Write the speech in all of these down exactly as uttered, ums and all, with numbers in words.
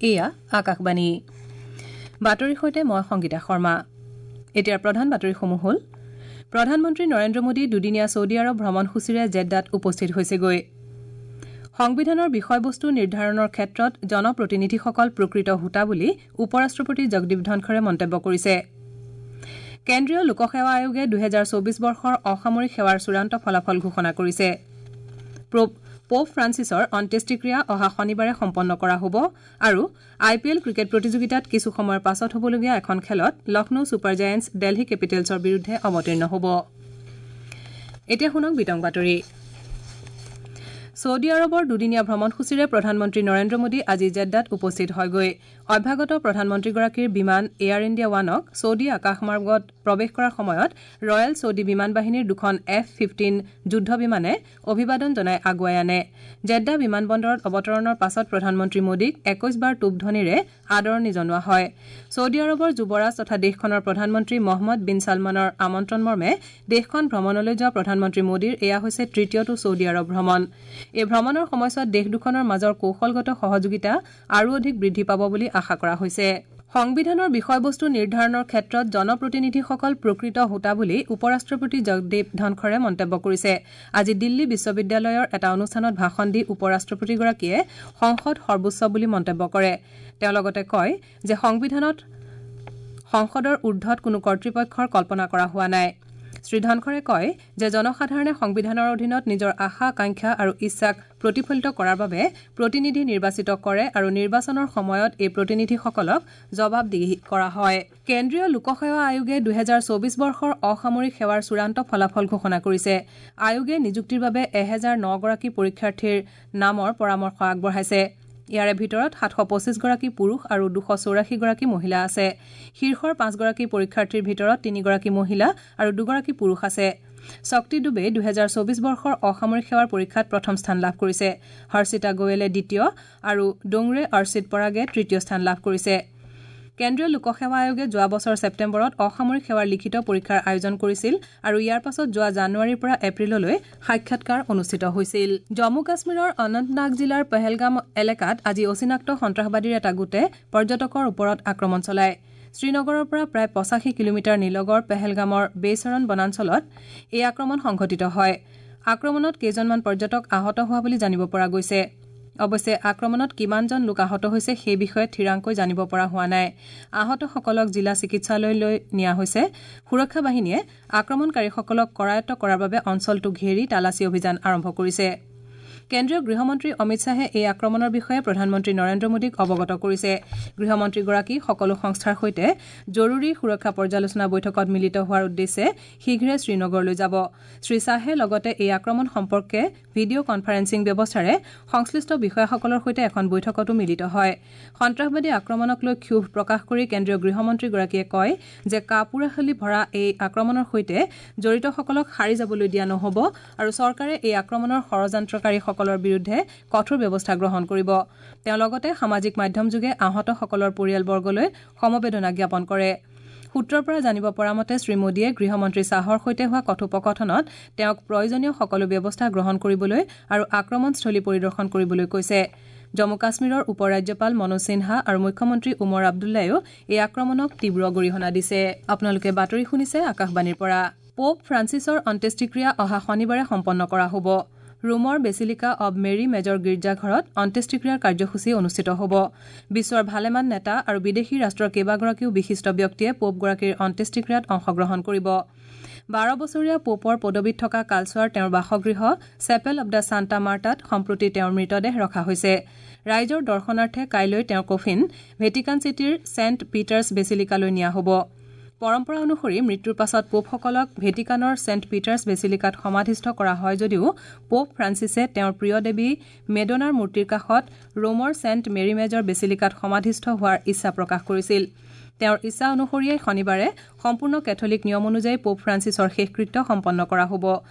এয়া আকাশবাণী বাতৰিৰ সৈতে মই সংগীতা শৰ্মা। এতিয়াৰ প্ৰধান বাতৰিসমূহ হ'ল প্ৰধানমন্ত্ৰী নৰেন্দ্ৰ মোদী দুদিনীয়া ছৌদি আৰৱ ভ্ৰমণসূচীৰে জেদ্দাত উপস্থিত হৈছেগৈ। সংবিধানৰ বিষয়বস্তু নিৰ্ধাৰণৰ ক্ষেত্ৰত জনপ্ৰতিনিধিসকল প্ৰকৃত হোতা বুলি উপ-ৰাষ্ট্ৰপতি জগদীপ ধনখৰে মন্তব্য কৰিছে। কেন্দ্ৰীয় লোকসেৱা আয়োগে দুহেজাৰ চৌবিশ বৰ্ষৰ অসামৰিক সেৱাৰ চূড়ান্ত ফলাফল ঘোষণা কৰিছে। পোপ ফ্ৰান্সিছৰ অন্ত্যেষ্টিক্ৰিয়া অহা শনিবাৰে সম্পন্ন কৰা হ'ব আৰু আই পি এল ক্ৰিকেট প্ৰতিযোগিতাত কিছু সময়ৰ পাছত হ'বলগীয়া এখন খেলত লক্ষ্ণৌ ছুপাৰ জায়েণ্টছ দেলহি কেপিটেলছৰ বিৰুদ্ধে অৱতীৰ্ণ হ'ব। এতিয়া শুনক বিতং বাতৰি। ছৌদি আৰৱৰ দুদিনীয়া ভ্ৰমণসূচীৰে প্ৰধানমন্ত্ৰী নৰেন্দ্ৰ মোদী আজি জেদ্দাত উপস্থিত হয়গৈ। অভ্যাগত প্ৰধানমন্ত্ৰীগৰাকীৰ বিমান এয়াৰ ইণ্ডিয়া ৱানক ছৌদি আকাশমাৰ্গত প্ৰৱেশ কৰাৰ সময়ত ৰয়েল ছৌদি বিমান বাহিনীৰ দুখন এফ ফিফটিন যুদ্ধ বিমানে অভিবাদন জনাই আগুৱাই আনে। জেদ্দা বিমানবন্দৰত অৱতৰণৰ পাছত প্ৰধানমন্ত্ৰী মোদীক একৈশ বাৰ টোপধ্বনিৰে আদৰণি জনোৱা হয়। ছৌদি আৰৱৰ যুৱৰাজ তথা দেশখনৰ প্ৰধানমন্ত্ৰী মহম্মদ বিন ছালমানৰ আমন্ত্ৰণ মৰ্মে দেশখন ভ্ৰমণলৈ যোৱা প্ৰধানমন্ত্ৰী মোদীৰ এয়া হৈছে তৃতীয়টো ছৌদি আৰৱ ভ্ৰমণ। এই ভ্ৰমণৰ সময়ছোৱাত দেশ দুখনৰ মাজৰ কৌশলগত সহযোগিতা আৰু অধিক বৃদ্ধি পাব বুলি আশা কৰা হৈছে। সংবিধানৰ বিষয়বস্তু নিৰ্ধাৰণৰ ক্ষেত্ৰত জনপ্ৰতিনিধিসকল প্ৰকৃত হোতা বুলি উপ-ৰাষ্ট্ৰপতি জগদীপ ধনখৰে মন্তব্য কৰিছে। আজি দিল্লী বিশ্ববিদ্যালয়ৰ এটা অনুষ্ঠানত ভাষণ দি উপ-ৰাষ্ট্ৰপতিগৰাকীয়ে সংসদ সৰ্বোচ্চ বুলি মন্তব্য কৰে। তেওঁ লগতে কয় যে সংবিধানত সংসদৰ ঊৰ্ধত কোনো কৰ্তৃপক্ষৰ কল্পনা কৰা হোৱা নাই। শ্ৰী ধনখৰে কয় যে জনসাধাৰণে সংবিধানৰ অধীনত নিজৰ আশা আকাংক্ষা আৰু ইচ্ছাক প্ৰতিফলিত কৰাৰ বাবে প্ৰতিনিধি নিৰ্বাচিত কৰে আৰু নিৰ্বাচনৰ সময়ত এই প্ৰতিনিধিসকলক জবাবদিহি কৰা হয়। কেন্দ্ৰীয় লোকসেৱা আয়োগে দুহেজাৰ চৌবিশ বৰ্ষৰ অসামৰিক সেৱাৰ চূড়ান্ত ফলাফল ঘোষণা কৰিছে। আয়োগে নিযুক্তিৰ বাবে এহেজাৰ নগৰাকী পৰীক্ষাৰ্থীৰ নামৰ পৰামৰ্শ আগবঢ়াইছে। ইয়াৰে ভিতৰত সাতশ পঁচিছগৰাকী পুৰুষ আৰু দুশ চৌৰাশীগৰাকী মহিলা আছে। শীৰ্ষৰ পাঁচগৰাকী পৰীক্ষাৰ্থীৰ ভিতৰত তিনিগৰাকী মহিলা আৰু দুগৰাকী পুৰুষ আছে। শক্তি ডুবে দুহেজাৰ চৌবিশ বৰ্ষৰ অসামৰিক সেৱাৰ পৰীক্ষাত প্ৰথম স্থান লাভ কৰিছে। হৰ্ষিতা গোৱেলে দ্বিতীয় আৰু ডোংৰে অৰ্চিত পৰাগে তৃতীয় স্থান লাভ কৰিছে। কেন্দ্ৰীয় লোকসেৱা আয়োগে যোৱা বছৰ ছেপ্টেম্বৰত অসামৰিক সেৱাৰ লিখিত পৰীক্ষাৰ আয়োজন কৰিছিল আৰু ইয়াৰ পাছত যোৱা জানুৱাৰীৰ পৰা এপ্ৰিললৈ সাক্ষাৎকাৰ অনুষ্ঠিত হৈছিল। জম্মু কাশ্মীৰৰ অনন্তনাগ জিলাৰ পহেলগাম এলেকাত আজি অচিনাক্ত সন্ত্ৰাসবাদীৰ এটা গোটে পৰ্যটকৰ ওপৰত আক্ৰমণ চলায়। শ্ৰীনগৰৰ পৰা প্ৰায় পঁচাশী কিলোমিটাৰ নিলগৰ পেহেলগামৰ বেইচৰণ বনাঞ্চলত এই আক্ৰমণ সংঘটিত হয়। আক্ৰমণত কেইজনমান পৰ্যটক আহত হোৱা বুলি জানিব পৰা গৈছে। অৱশ্যে আক্ৰমণত কিমানজন লোক আহত হৈছে সেই বিষয়ে থিৰাংকৈ জানিব পৰা হোৱা নাই। আহতসকলক জিলা চিকিৎসালয়লৈ নিয়া হৈছে। সুৰক্ষা বাহিনীয়ে আক্ৰমণকাৰীসকলক কৰায়ত্ব কৰাৰ বাবে অঞ্চলটো ঘেৰি তালাচী অভিযান আৰম্ভ কৰিছে। কেন্দ্ৰীয় গৃহমন্ত্ৰী অমিত শ্বাহে এই আক্ৰমণৰ বিষয়ে প্ৰধানমন্ত্ৰী নৰেন্দ্ৰ মোদীক অৱগত কৰিছে। গৃহমন্ত্ৰীগৰাকী সকলো সংস্থাৰ সৈতে জৰুৰী সুৰক্ষা পৰ্যালোচনা বৈঠকত মিলিত হোৱাৰ উদ্দেশ্যে শীঘ্ৰে শ্ৰীনগৰলৈ যাব। শ্ৰী শ্বাহে লগতে এই আক্ৰমণ সম্পৰ্কে ভিডিঅ' কনফাৰেন্সিং ব্যৱস্থাৰে সংশ্লিষ্ট বিষয়াসকলৰ সৈতে এখন বৈঠকতো মিলিত হয়। সন্ত্ৰাসবাদী আক্ৰমণক লৈ ক্ষোভ প্ৰকাশ কৰি কেন্দ্ৰীয় গৃহমন্ত্ৰীগৰাকীয়ে কয় যে কাপুৰাশালী ভৰা এই আক্ৰমণৰ সৈতে জড়িতসকলক সাৰি যাবলৈ দিয়া নহ'ব আৰু চৰকাৰে এই আক্ৰমণৰ ষড়যন্ত্ৰকাৰীসকলৰ বিৰুদ্ধে কঠোৰ ব্যৱস্থা গ্ৰহণ কৰিব। তেওঁ লগতে সামাজিক মাধ্যমযোগে আহতসকলৰ পৰিয়ালবৰ্গলৈ সমবেদনা জ্ঞাপন কৰে। সূত্ৰৰ পৰা জানিব পৰা মতে শ্ৰীমোদীয়ে গৃহমন্ত্ৰী শ্বাহৰ সৈতে হোৱা কথোপকথনত তেওঁক প্ৰয়োজনীয় সকলো ব্যৱস্থা গ্ৰহণ কৰিবলৈ আৰু আক্ৰমণস্থলী পৰিদৰ্শন কৰিবলৈ কৈছে। জম্মু কাশ্মীৰৰ উপ ৰাজ্যপাল মনোজ সিনহা আৰু মুখ্যমন্ত্ৰী উমৰ আব্দুল্লাইও এই আক্ৰমণক তীব্ৰ গৰিহণা দিছে। আপোনালোকে বাতৰি শুনিছে আকাশবাণীৰ পৰা। পোপ ফ্ৰান্সিছৰ অন্ত্যেষ্টিক্ৰিয়া অহা শনিবাৰে সম্পন্ন কৰা হ'ব। ৰোমৰ বেচিলিকা অৱ মেৰী মেজৰ গীৰ্জাঘৰত অন্ত্যেষ্টিক্ৰিয়াৰ কাৰ্যসূচী অনুষ্ঠিত হ'ব। বিশ্বৰ ভালেমান নেতা আৰু বিদেশী ৰাষ্ট্ৰৰ কেইবাগৰাকীও বিশিষ্ট ব্যক্তিয়ে পোপগৰাকীৰ অন্ত্যেষ্টিক্ৰিয়াত অংশগ্ৰহণ কৰিব। বাৰ বছৰীয়া পোপৰ পদবীত থকা কালচোৱাৰ তেওঁৰ বাসগৃহ চেপেল অৱ the Santa মাৰ্টাত সম্প্ৰতি তেওঁৰ মৃতদেহ ৰখা হৈছে। ৰাইজৰ দৰ্শনাৰ্থে কাইলৈ তেওঁৰ কফিন ভেটিকান চিটিৰ ছেণ্ট পিটাৰ্ছ বেচিলিকালৈ নিয়া হ'ব। পৰম্পৰা অনুসৰি মৃত্যুৰ পাছত পোপসকলক ভেটিকানৰ ছেণ্ট পিটাৰ্ছ বেচিলিকাত সমাধিস্থ কৰা হয় যদিও পোপ ফ্ৰান্সিছে তেওঁৰ প্ৰিয় দেৱী মেডোনাৰ মূৰ্তিৰ কাষত ৰোমৰ ছেণ্ট মেৰী মেজৰ বেচিলিকাত সমাধিস্থ হোৱাৰ ইচ্ছা প্ৰকাশ কৰিছিল। তেওঁৰ ইচ্ছা অনুসৰিয়েই শনিবাৰে সম্পূৰ্ণ কেথলিক নিয়ম অনুযায়ী পোপ ফ্ৰান্সিছৰ শেষকৃত্য সম্পন্ন কৰা হ'ব।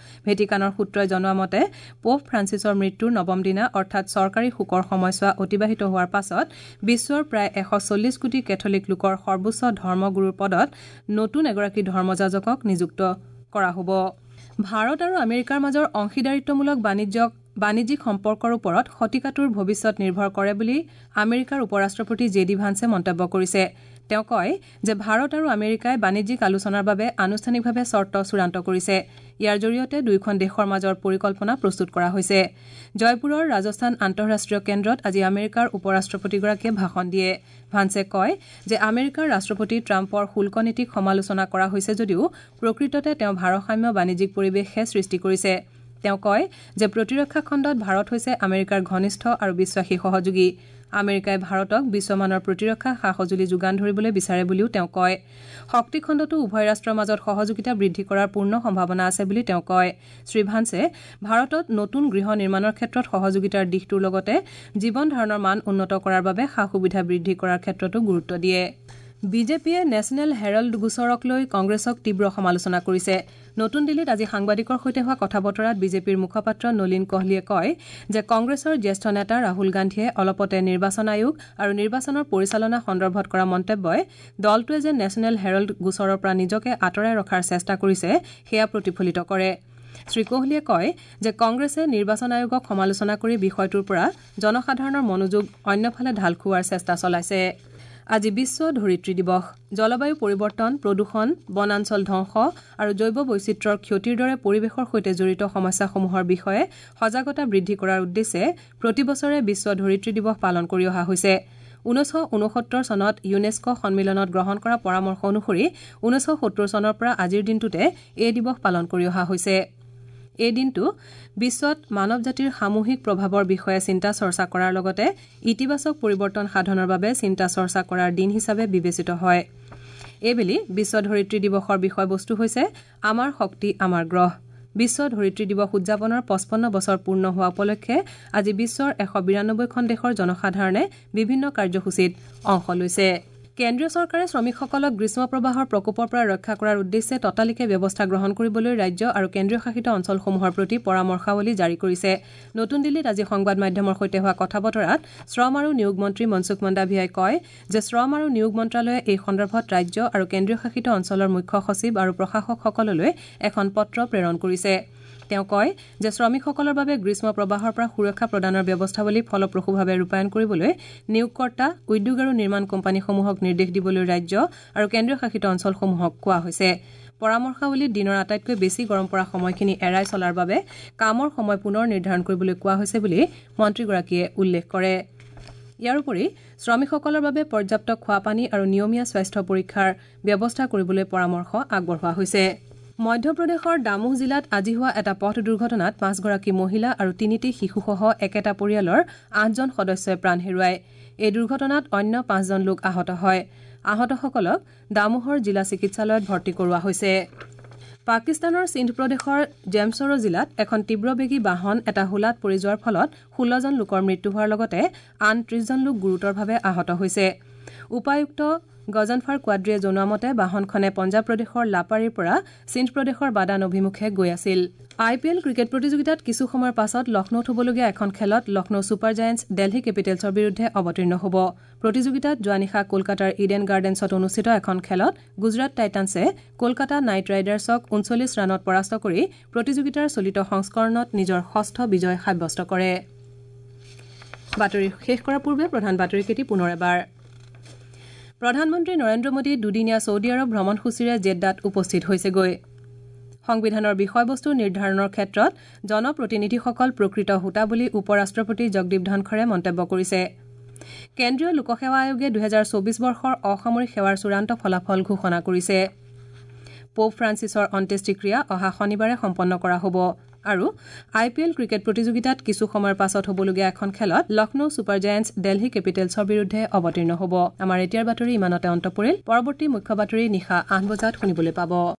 ভেটিকানৰ সূত্ৰই জনোৱা মতে পোপ ফ্ৰান্সিছৰ মৃত্যুৰ নৱম দিনা অৰ্থাৎ চৰকাৰী শোকৰ সময়ছোৱা অতিবাহিত হোৱাৰ পাছত বিশ্বৰ প্ৰায় এশ চল্লিছ কোটি কেথলিক লোকৰ সৰ্বোচ্চ ধৰ্মগুৰুৰ পদত নতুন এগৰাকী ধৰ্মযাজকক নিযুক্ত কৰা হ'ব। ভাৰত আৰু আমেৰিকাৰ মাজৰ অংশীদাৰিত্বমূলক বাণিজ্যক বাণিজ্যিক সম্পৰ্কৰ ওপৰত শতিকাটোৰ ভৱিষ্যত নিৰ্ভৰ কৰে বুলি আমেৰিকাৰ উপ-ৰাষ্ট্ৰপতি জে ডি ভান্সে মন্তব্য কৰিছে। তেওঁ কয় যে ভাৰত আৰু আমেৰিকাই বাণিজ্যিক আলোচনাৰ বাবে আনুষ্ঠানিকভাৱে চৰ্ত চূড়ান্ত কৰিছে। ইয়াৰ জৰিয়তে দুয়োখন দেশৰ মাজৰ পৰিকল্পনা প্ৰস্তুত কৰা হৈছে। জয়পুৰৰ ৰাজস্থান আন্তঃৰাষ্ট্ৰীয় কেন্দ্ৰত আজি আমেৰিকাৰ উপ-ৰাষ্ট্ৰপতিগৰাকীয়ে ভাষণ দিয়ে। ভান্সে কয় যে আমেৰিকাৰ ৰাষ্ট্ৰপতি ট্ৰাম্পৰ শুল্ক নীতিক সমালোচনা কৰা হৈছে যদিও প্ৰকৃততে তেওঁ ভাৰসাম্য বাণিজ্যিক পৰিৱেশহে সৃষ্টি কৰিছে। তেওঁ কয় যে প্ৰতিৰক্ষা খণ্ডত ভাৰত হৈছে আমেৰিকাৰ ঘনিষ্ঠ আৰু বিশ্বাসী সহযোগী। আমেৰিকাই ভাৰতক বিশ্বমানৰ প্ৰতিৰক্ষা সা-সঁজুলি যোগান ধৰিবলৈ বিচাৰে বুলিও তেওঁ কয়। শক্তি খণ্ডতো উভয় ৰাষ্ট্ৰৰ মাজত সহযোগিতা বৃদ্ধি কৰাৰ পূৰ্ণ সম্ভাৱনা আছে বুলি তেওঁ কয়। শ্ৰীভান্সে ভাৰতত নতুন গৃহ নিৰ্মাণৰ ক্ষেত্ৰত সহযোগিতাৰ দিশটোৰ লগতে জীৱন ধাৰণৰ মান উন্নত কৰাৰ বাবে সা-সুবিধা বৃদ্ধি কৰাৰ ক্ষেত্ৰতো গুৰুত্ব দিয়ে। বিজেপিয়ে নেশ্যনেল হেৰল্ড গোচৰক লৈ কংগ্ৰেছক তীব্ৰ সমালোচনা কৰিছে। নতুন দিল্লীত আজি সাংবাদিকৰ সৈতে হোৱা কথা বতৰাত বিজেপিৰ মুখপাত্ৰ নলীন কোহলিয়ে কয় যে কংগ্ৰেছৰ জ্যেষ্ঠ নেতা ৰাহুল গান্ধীয়ে অলপতে নিৰ্বাচন আয়োগ আৰু নিৰ্বাচনৰ পৰিচালনা সন্দৰ্ভত কৰা মন্তব্যই দলটোৱে যে নেশ্যনেল হেৰল্ড গোচৰৰ পৰা নিজকে আঁতৰাই ৰখাৰ চেষ্টা কৰিছে সেয়া প্ৰতিফলিত কৰে। শ্ৰী কোহলিয়ে কয় যে কংগ্ৰেছে নিৰ্বাচন আয়োগক সমালোচনা কৰি বিষয়টোৰ পৰা জনসাধাৰণৰ মনোযোগ অন্যফালে ঢাল খুওৱাৰ চেষ্টা চলাইছে। আজি বিশ্ব ধৰিত্ৰী দিৱস। জলবায়ু পৰিৱৰ্তন, প্ৰদূষণ, বনাঞ্চল ধ্বংস আৰু জৈৱ বৈচিত্ৰ্যৰ ক্ষতিৰ দৰে পৰিৱেশৰ সৈতে জড়িত সমস্যাসমূহৰ বিষয়ে সজাগতা বৃদ্ধি কৰাৰ উদ্দেশ্যে প্ৰতি বছৰে বিশ্ব ধৰিত্ৰী দিৱস পালন কৰি অহা হৈছে। ঊনৈছশ ঊনসত্তৰ চনত ইউনেস্কো সন্মিলনত গ্ৰহণ কৰা পৰামৰ্শ অনুসৰি ঊনৈছশ সত্তৰ চনৰ পৰা আজিৰ দিনটোতে এই দিৱস পালন কৰি অহা হৈছে। এই দিনটো বিশ্বত মানৱ জাতিৰ সামূহিক প্ৰভাৱৰ বিষয়ে চিন্তা চৰ্চা কৰাৰ লগতে ইতিবাচক পৰিৱৰ্তন সাধনৰ বাবে চিন্তা চৰ্চা কৰাৰ দিন হিচাপে বিবেচিত হয়। এইবেলি বিশ্ব ধৰিত্ৰী দিৱসৰ বিষয়বস্তু হৈছে আমাৰ শক্তি আমাৰ গ্ৰহ। বিশ্ব ধৰিত্ৰী দিৱস উদযাপনৰ পঁচপন্ন বছৰ পূৰ্ণ হোৱা উপলক্ষে আজি বিশ্বৰ এশ বিৰানব্বৈখন দেশৰ জনসাধাৰণে বিভিন্ন কাৰ্যসূচীত অংশ লৈছে। কেন্দ্ৰীয় চৰকাৰে শ্ৰমিকসকলক গ্ৰীষ্ম প্ৰবাহৰ প্ৰকোপৰ পৰা ৰক্ষা কৰাৰ উদ্দেশ্যে ততালিকে ব্যৱস্থা গ্ৰহণ কৰিবলৈ ৰাজ্য আৰু কেন্দ্ৰীয় শাসিত অঞ্চলসমূহৰ প্ৰতি পৰামৰ্শাৱলী জাৰি কৰিছে। নতুন দিল্লীত আজি সংবাদ মাধ্যমৰ সৈতে হোৱা কথা বতৰাত শ্ৰম আৰু নিয়োগ মন্ত্ৰী মনসুখ মন্দাভিয়াই কয় যে শ্ৰম আৰু নিয়োগ মন্ত্ৰালয়ে এই সন্দৰ্ভত ৰাজ্য আৰু কেন্দ্ৰীয় শাসিত অঞ্চলৰ মুখ্য সচিব আৰু প্ৰশাসকসকললৈ এখন পত্ৰ প্ৰেৰণ কৰিছে। তেওঁ কয় যে শ্ৰমিকসকলৰ বাবে গ্ৰীষ্ম প্ৰবাহৰ পৰা সুৰক্ষা প্ৰদানৰ ব্যৱস্থাৱলী ফলপ্ৰসূভাৱে ৰূপায়ণ কৰিবলৈ নিয়োগকৰ্তা, উদ্যোগ আৰু নিৰ্মাণ কোম্পানীসমূহক নিৰ্দেশ দিবলৈ ৰাজ্য আৰু কেন্দ্ৰীয় শাসিত অঞ্চলসমূহক কোৱা হৈছে। পৰামৰ্শাৱলীত দিনৰ আটাইতকৈ বেছি গৰম পৰা সময়খিনি এৰাই চলাৰ বাবে কামৰ সময় পুনৰ নিৰ্ধাৰণ কৰিবলৈ কোৱা হৈছে বুলি মন্ত্ৰীগৰাকীয়ে উল্লেখ কৰে। ইয়াৰ উপৰি শ্ৰমিকসকলৰ বাবে পৰ্যাপ্ত খোৱাপানী আৰু নিয়মীয়া স্বাস্থ্য পৰীক্ষাৰ ব্যৱস্থা কৰিবলৈ পৰামৰ্শ আগবঢ়োৱা হৈছে। মধ্যপ্ৰদেশৰ দামোহ জিলাত আজি হোৱা এটা পথ দুৰ্ঘটনাত পাঁচগৰাকী মহিলা আৰু তিনিটি শিশুসহ একেটা পৰিয়ালৰ আঠজন সদস্যই প্ৰাণ হেৰুৱায়। এই দুৰ্ঘটনাত অন্য পাঁচজন লোক আহত হয়। আহতসকলক দামোহৰ জিলা চিকিৎসালয়ত ভৰ্তি কৰোৱা হৈছে। পাকিস্তানৰ সিন্ধ প্ৰদেশৰ জেমছৰো জিলাত এখন তীব্ৰবেগী বাহন এটা হোলাত পৰি যোৱাৰ ফলত ষোল্লজন লোকৰ মৃত্যু হোৱাৰ লগতে আন ত্ৰিশজন লোক গুৰুতৰভাৱে আহত হৈছে। উপায়ুক্ত গজনফাৰ কোৱাদ্ৰীয়ে জনোৱা মতে বাহনখনে পঞ্জাৱ প্ৰদেশৰ লাপাৰীৰ পৰা সিন্ধ প্ৰদেশৰ বাদান অভিমুখে গৈ আছিল। আই পি এল ক্ৰিকেট প্ৰতিযোগিতাত কিছু সময়ৰ পাছত লক্ষ্ণৌত হ'বলগীয়া এখন খেলত লক্ষ্ণৌ ছুপাৰ জায়েণ্টছ দেলহি কেপিটেলছৰ বিৰুদ্ধে অৱতীৰ্ণ হ'ব। প্ৰতিযোগিতাত যোৱা নিশা কলকাতাৰ ইডেন গাৰ্ডেন্সত অনুষ্ঠিত এখন খেলত গুজৰাট টাইটানছে কলকাতা নাইট ৰাইডাৰ্ছক ঊনচল্লিছ ৰানত পৰাস্ত কৰি প্ৰতিযোগিতাৰ চলিত সংস্কৰণত নিজৰ ষষ্ঠ বিজয় সাব্যস্ত কৰে। বাতৰি শেষ কৰাৰ পূৰ্বে প্ৰধান বাতৰিকেইটি পুনৰ এবাৰ। প্ৰধানমন্ত্ৰী নৰেন্দ্ৰ মোদী দুদিনীয়া ছৌদি আৰৱ ভ্ৰমণসূচীৰে জেদ্দাত উপস্থিত হৈছেগৈ। সংবিধানৰ বিষয়বস্তু নিৰ্ধাৰণৰ ক্ষেত্ৰত জনপ্ৰতিনিধিসকল প্ৰকৃত হোতা বুলি উপ ৰাষ্ট্ৰপতি জগদীপ ধনখৰে মন্তব্য কৰিছে। কেন্দ্ৰীয় লোকসেৱা আয়োগে দুহেজাৰ চৌবিশ বৰ্ষৰ অসামৰিক সেৱাৰ চূড়ান্ত ফলাফল ঘোষণা কৰিছে। পোপ ফ্ৰান্সিছৰ অন্ত্যেষ্টিক্ৰিয়া অহা শনিবাৰে সম্পন্ন কৰা হ'ব। আৰু আই পি এল ক্ৰিকেট প্ৰতিযোগিতাত কিছু সময়ৰ পাছত হ'বলগীয়া এখন খেলত লক্ষ্ণৌ ছুপাৰ জায়েণ্টছ দেলহি কেপিটেলছৰ বিৰুদ্ধে অৱতীৰ্ণ হ'ব। আমাৰ এতিয়াৰ বাতৰি ইমানতে অন্ত পৰিল। পৰৱৰ্তী মুখ্য বাতৰি নিশা আঠ বজাত শুনিবলৈ পাব।